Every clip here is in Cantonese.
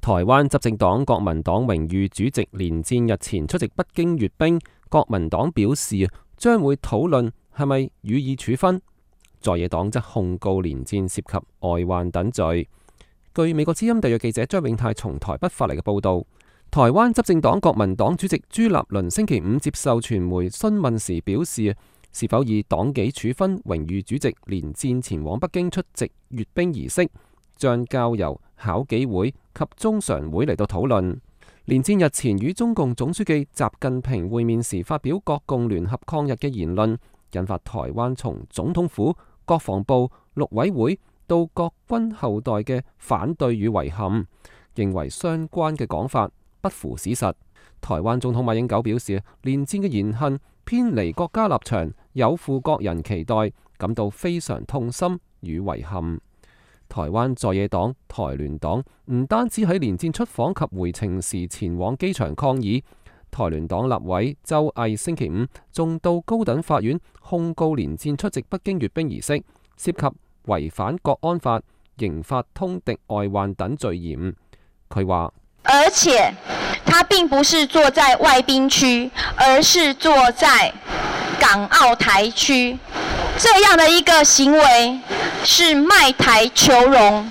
台灣執政黨國民黨榮譽主席連戰日前出席北京閱兵，國民黨表示將會討論係咪予以處分，在野黨則控告連戰涉及外患等罪。據美國之音特約記者張永泰從台北發嚟嘅報道，台灣執政黨國民黨主席朱立倫星期五接受傳媒詢問時表示，是否以黨紀處分榮譽主席連戰前往北京出席閱兵儀式，將交由考紀會及中常會嚟到討論。連戰日前與中共總書記習近平會面時發表國共聯合抗日嘅言論，引發台灣從總統府、國防部、陸委會到各軍後代嘅反對與遺憾，認為相關嘅講法不符史實。台灣總統馬英九表示，連戰嘅言行偏離國家立場，有負國人期待，感到非常痛心與遺憾。台灣在野黨台聯黨唔單止喺連戰出訪及回程時前往機場抗議，台聯黨立委周毅星期五仲到高等法院控告連戰出席北京閱兵儀式，涉及違反國安法、刑法通敵外患等罪嫌。佢話，而且他並不是坐在外賓區，而是坐在港澳台區，這樣的一個行為是賣台求榮。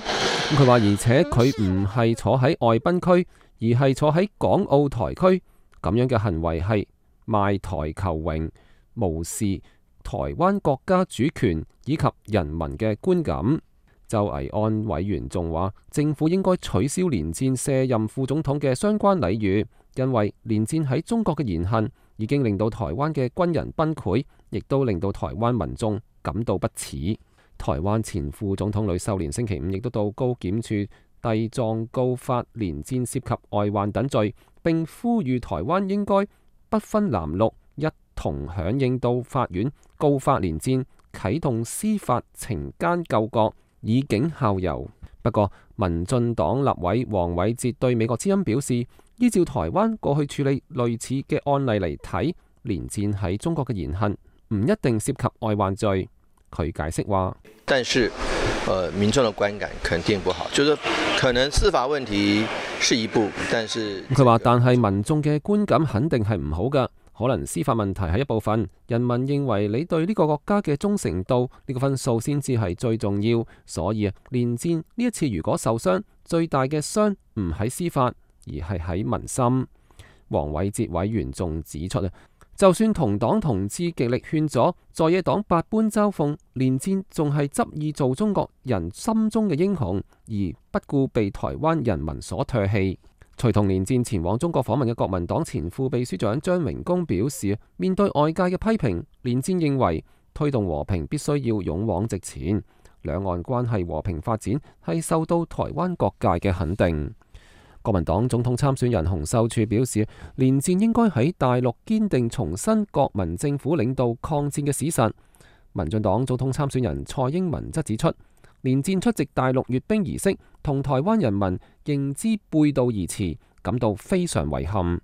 佢話，而且佢唔係坐喺外賓區，而係坐喺港澳台區，咁樣嘅行為係賣台求榮，無視台灣國家主權以及人民嘅觀感。周維安委員仲話，政府應該取消連戰卸任副總統嘅相關禮遇，因為連戰喺中國嘅言行已經令到台灣嘅軍人崩潰，亦都令到台灣民眾感到不齒。台灣前副總統呂秀蓮星期五亦都到高檢處遞狀告發連戰涉及外患等罪，並呼籲台灣應該不分藍綠，一同響應到法院告發連戰，啟動司法懲奸救國，以儆效尤。不過，民進黨立委黃偉哲對美國之音表示，依照台灣過去處理類似嘅案例嚟睇，連戰喺中國嘅言行唔一定涉及外患罪。佢解釋話，但是民眾的觀感肯定不好，就是可能司法問題是一步，但是佢話，但係民眾嘅觀感肯定係唔好㗎，可能司法問題係一部分，人民認為你對呢個國家嘅忠誠度呢個分數先至係最重要，所以連戰呢一次如果受傷，最大嘅傷唔喺司法，而係喺民心。黃偉哲委員仲指出，就算同黨同志極力勸阻，在野黨百般嘲諷，連戰仲係執意做中國人心中嘅英雄，而不顧被台灣人民所唾棄。隨同連戰前往中國訪問嘅國民黨前副秘書長張榮恭表示，面對外界嘅批評，連戰認為推動和平必須要勇往直前，兩岸關係和平發展係受到台灣各界嘅肯定。國民黨總統參選人洪秀柱表示，連戰應該喺大陸堅定重申國民政府領導抗戰嘅史實。民進黨總統參選人蔡英文則指出，連戰出席大陸閱兵儀式，同台灣人民認知背道而馳，感到非常遺憾。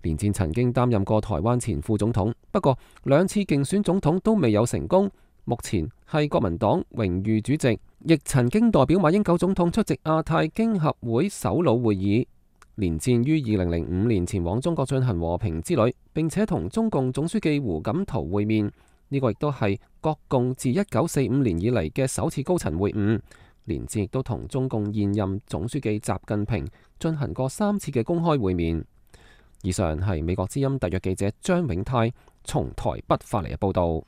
連戰曾經擔任過台灣前副總統，不過兩次競選總統都未有成功。目前係國民黨榮譽主席，亦曾經代表馬英九總統出席亞太經合會首腦會議。連戰於2005年前往中國進行和平之旅，並且同中共總書記胡錦濤會面。呢個亦都係國共自1945年以嚟嘅首次高層會晤。連戰亦都同中共現任總書記習近平進行過3次嘅公開會面。以上係美國之音特約記者張永泰從台北發嚟嘅報道。